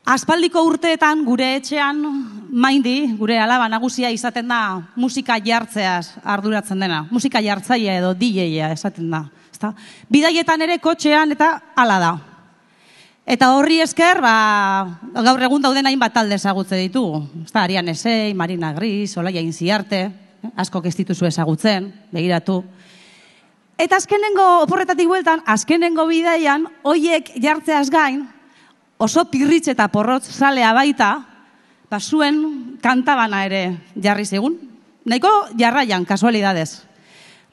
Aspaldiko urteetan gure etxean Maindi, gure alaba nagusia izaten da musika jartzeaz arduratzen dena. Musika jartzailea edo DJ-a esaten da. Bidaietan ere kotxean eta hala da. Eta horri esker, gaur egun dauden hainbat talde ezagutze ditugu. Arian Esei, Marina Gris, Olaia Inziarte, askok ez dituzu ezagutzen, begiratu. Eta azkenengo oporretatik bueltan, azkenengo bidaian, hoiek jartzeaz gain, oso pirritz eta porrotz zalea baita, zuen kantabana ere jarri zigun. Nahiko jarraian, kasualidadez.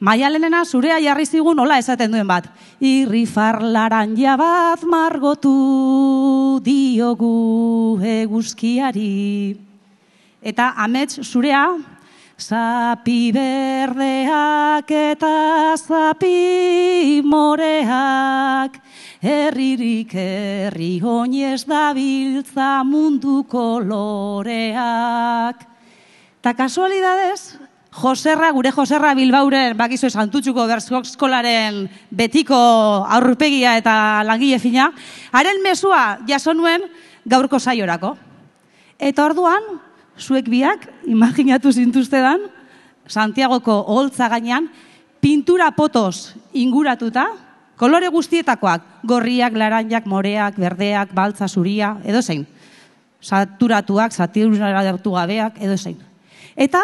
Maialenena zurea jarri zigun hola esaten duen bat. Irrifarlaranja bat margotu diogu eguzkiari. Eta amets zurea, zapi berdeak eta zapi moreak, herririk herri oinez dabiltza mundu koloreak. Eta kasualidadez, gure Joserra Bilbauren, bakizu Santutxuko Bertsko-eskolaren betiko aurpegia eta langile fina, haren mezua jaso nuen gaurko saiorako. Eta orduan, zuek biak, imaginatu zintuztedan, Santiagoko oholtza gainean, pintura potoz inguratuta, kolore guztietakoak, gorriak, laranjak, moreak, berdeak, baltza, zuria, edozein. Saturatuak, saturatu gabeak, edozein. Eta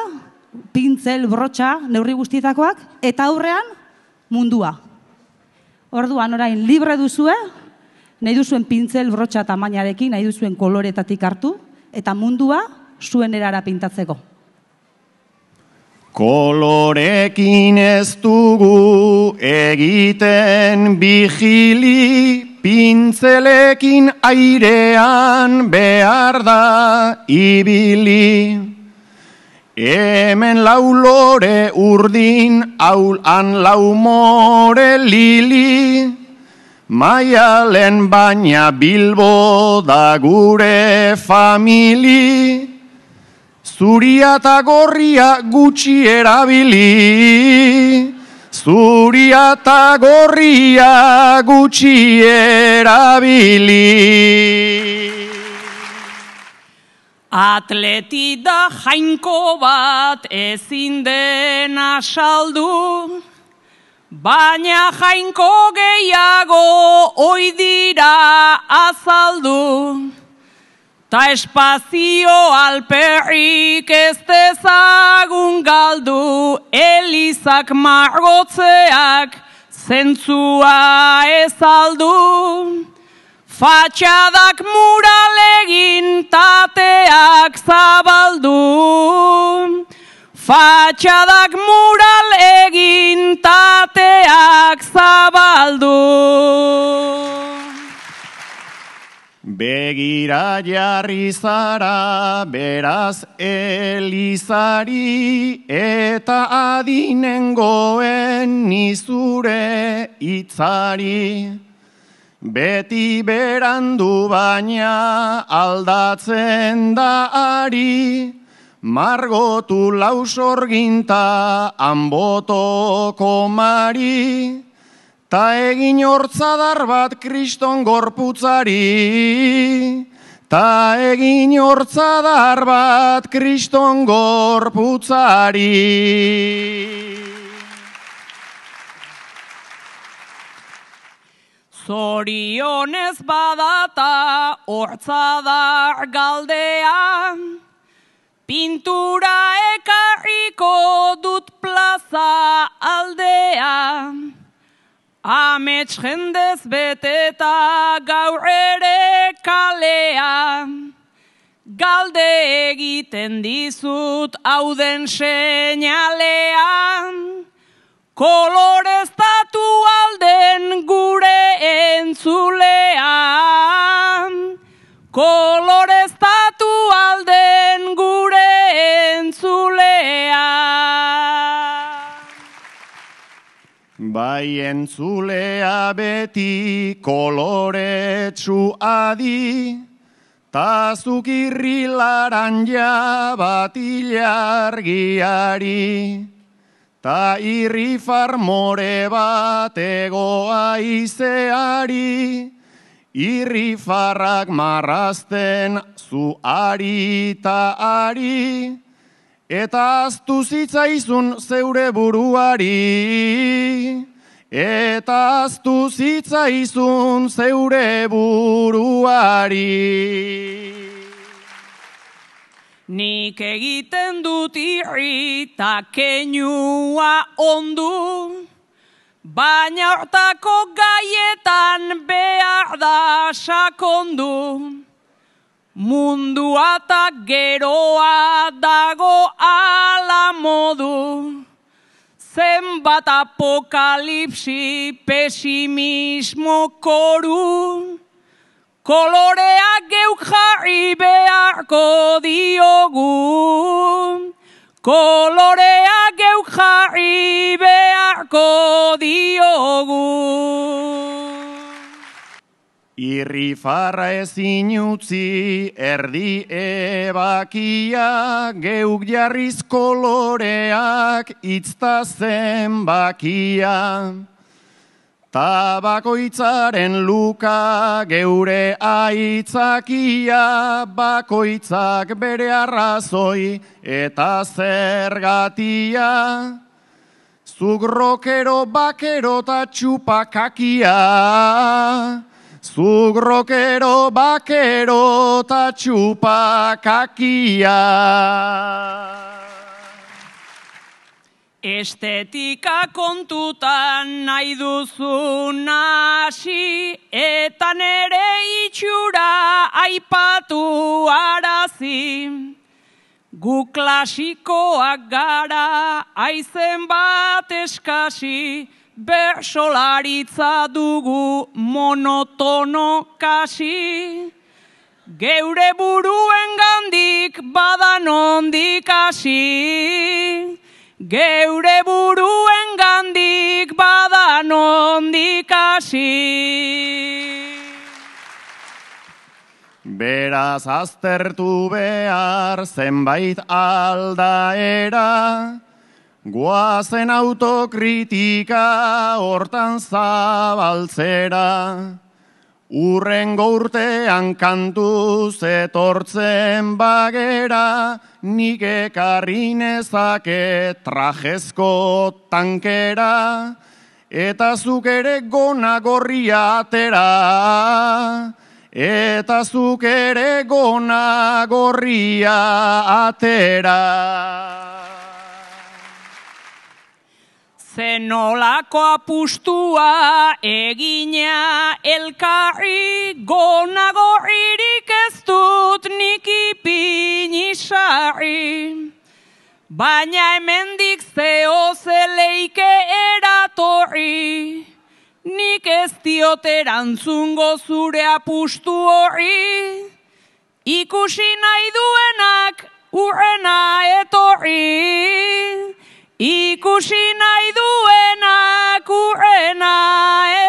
pintzel, brotxa, neurri guztietakoak, eta aurrean mundua. Orduan orain libre duzue, nahi duzuen pintzel, brotxa tamainarekin, nahi duzuen koloretatik hartu, eta mundua zuen erara pintatzeko. Kolorekin ez dugu egiten bigili, pintzelekin airean behar da ibili. Hemen laulore urdin, aulan laumore lili, Maialen baina Bilbo da gure famili, zuria eta gorria gutxi erabili, zuria eta gorria gutxi erabili. Atleti da jainko bat ezin dena saldu, baina jainko gehiago oi dira azaldu. Ta espazio alperrik ez dezagun galdu, elizak margotzeak zentzua ez aldu. Fatxadak muralegin tateak zabaldu. Fatxadak muralegin tateak zabaldu. Begira jarri zara, beraz elizari, eta adinengoen nizure hitzari. Beti berandu baina aldatzen da ari, margotu lausorginta anbotoko mari, ta egin hortzadar bat kriston gorputzari, ta egin hortzadar bat kriston gorputzari. Zorionez badata hortzadar galdea, pintura ekarriko dut plaza aldea. Amets jendez beteta gaur ere kalea, galde egiten dizut hauden seinalean, koloreztatu alden gure entzulean, koloreztatu alden gure entzulean. Bai entzulea beti koloretsu adi, ta zukirri laranja bat ilargiari, ta irrifar more bat egoa izeari, irrifarrak marrazten zu ari ta ari, eta aztu zitzaizun zeure buruari, eta aztu zitzaizun zeure buruari. Nik egiten dut irrita keinua ondu, baina hortako gaietan behar da sakondu. Mundua eta geroa dago ala modu, zenbat apokalipsi pesimismo koru, koloreak geuk jarri beharko diogu, koloreak geuk jarri beharko diogu. Irrifarra ezin utzi erdi ebakia, geuk jarriz koloreak itzta zenbakia. Tabakoitzaren luka geure aitzakia, bakoitzak bere arrazoi eta zergatia. Zuk rokero, bakero eta txupakakia. Zuk rokero, bakero eta txupakakia. Estetika kontutan nahi duzun hasi, eta nere itxura aipatu arazi. Gu klasikoak gara, aizen bat eskasi, bersolaritza dugu monotono kasi. Geure buruen gandik badan ondik hasi. Geure buruen gandik badan ondik hasi. Beraz aztertu behar zenbait aldaera, goazen autokritika hortan zabaltzera. Urrengo urtean kantuz etortzen bagera, nik ekarri nezake trajezko tankera, eta zuk ere gona gorria atera, eta zuk ere gona gorria atera. Zenolako apustua egina elkarri, gona gorririk ez dut nik ipini sarri. Baina hemendik zeo zeleike eratorri, nik ez diot erantzungo zure apustu horri. Ikusi nahi duenak urrena etorri, ikusi nahi duenak urrena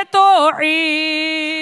etorri.